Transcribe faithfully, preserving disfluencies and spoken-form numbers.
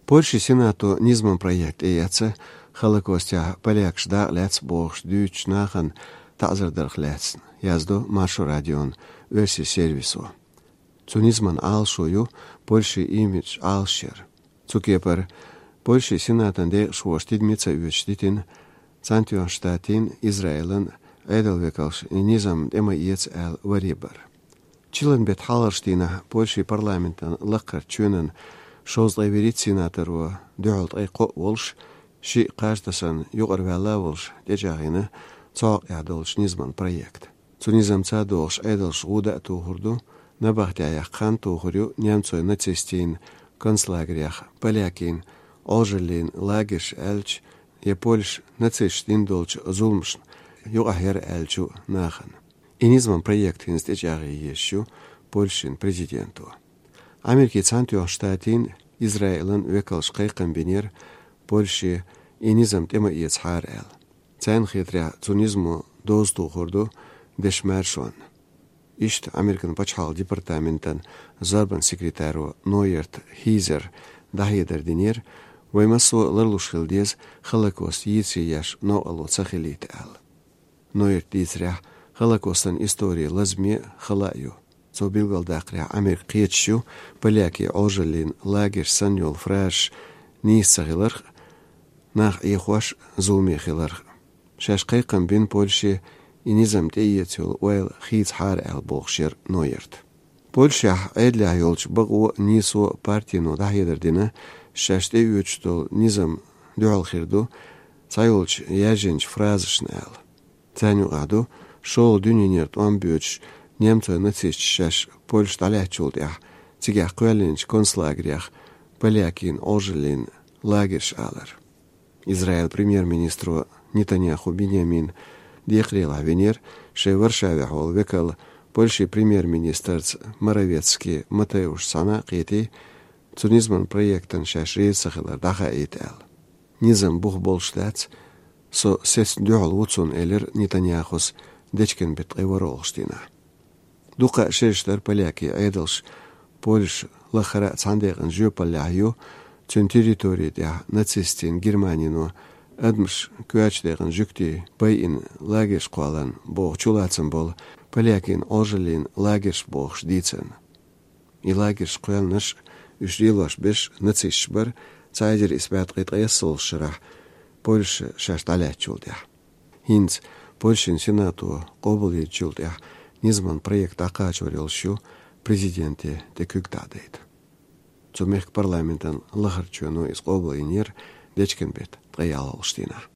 Польши Сенато низаман проект тӀеэцна Холокостехь полякаш дакъа лаьцна бохуш дуьйцучу нахана таӀзар дарх лаьцна, яздо Маршо радион оьрсийн сервисо. Цу низаман Ӏалашо ю Польшин имидж Ӏалашъяр. Цу кепара Польшин Сенатан декъашхоша тидаме ца оьцуш дитина Цхьаьнатоьхначу Штатийн, Израилан Ӏедалан векалш и низам тӀе ма эца аьлла варе бар. Чиллан беттан хьалхарчу дийнахь Польшин парламентан лакхарчу чоьнан шовзткъе вуьрхӀитта сенаторо, дуьхьал ткъе кхоъ волуш, шиъ кхаж тасарна юкъара ваьлла а волуш, тӀечӀагӀйина цу хьокъехь долчу низаман проект. Цу низамца догӀуш Ӏедалша гӀуда а тухур ду, набахтехь яккха хан тухур ю немцойн нацистийн концлагерех полякийн Ӏожаллин лагерш аьлча, я Польша нацисташа дина долчу зуламашна юкъахь яра аьллачу нахана. И низаман проект хӀинца тӀечӀагӀъе езаш ю Польшин президенто. Америкин Цхьаьнатоьхначу Штатийн, Израилан векалша кхайкхам бинера Польше и низам тӀе ма эцахьара аьлла. Царна хетарехь, цу низамо доза тухур ду дешан маршонна. Иштта Американ пачхьалкхан департаментан зорбанан секретаро Ноерт Хизера дӀахьедар динера, вай массо а ларлуш хила деза Холокост йийцаре еш новкъарло ца хилийта аьлла. Ноерта дийцарехь, Холокостан истори лазаме а, хала а ю. Цо билгалдаккхарехь, Америка кхеташ ю полякийн Ӏожаллин лагерш санна йолу фразаш нийса ца хиларх а, нах Ӏехош а, зуламе хиларх а. Шаьш кхайкхам бина Польше и низам тӀеэца йолу ойла хийцахьара аьлла бохуш яра Ноерт. Польшехь Ӏедалехь йолчу бакъо а, нийсо а партино дӀахьедар дина, шаьш тӀеоьцуш долу низам дуьхьал хир ду цхьайолчу яьржинчу фразашна аьлла. Царна юкъахь ду шолгӀа дуьненара тӀом боьдуш немцойн нацисташа шаьш Польша дӀалаьцначул тӀаьхьа цигахь кхоьллинчу концлагерех полякийн Ӏожаллин лагерш алар. Израилан премьер-министро Нетаньяху Биньямин декхарийлахь винера шайн Варшавехь волу векал Польшин премьер-министрца Моровецкий Матеушца цхьаьна а кхетий, цу низаман проектана шаьш реза ца хилар дӀахаийта аьлла. Низам бух болуш дац, со сецна дуьхьал ву цунна, элира Нетаньяхус дечкен беттан ткъе ворхӀалгӀачу дийнахь. Дуккха а шераш дара полякийн Ӏедалш Польша лаххара а цхьана декъана жоьпаллехь ю, цуьнан территори тӀехь нацистийн Германино адамаш коьртачу декъана жуьгтий байина лагерш кхолларна боху чулацам болу полякийн Ӏожаллин лагерш бохуш дийцарна. И лагерш кхоьллинарш а, уьш лелош берш а нацисташ бара цхьа эзар исс бӀе ткъе ткъайоьсналгӀачу шарахь Польша шаьш дӀалаьцначул тӀаьхьа. ХӀинца Польшин Сенато къобалйинчул тӀаьхьа низаман проект дӀакхачор йолуш ю президенте тӀе куьг дӀадайта. Цу мехкан парламентан лахарчу чоьно иза къобалйинера дечкен беттан ткъе ялхалгӀачу дийнахь.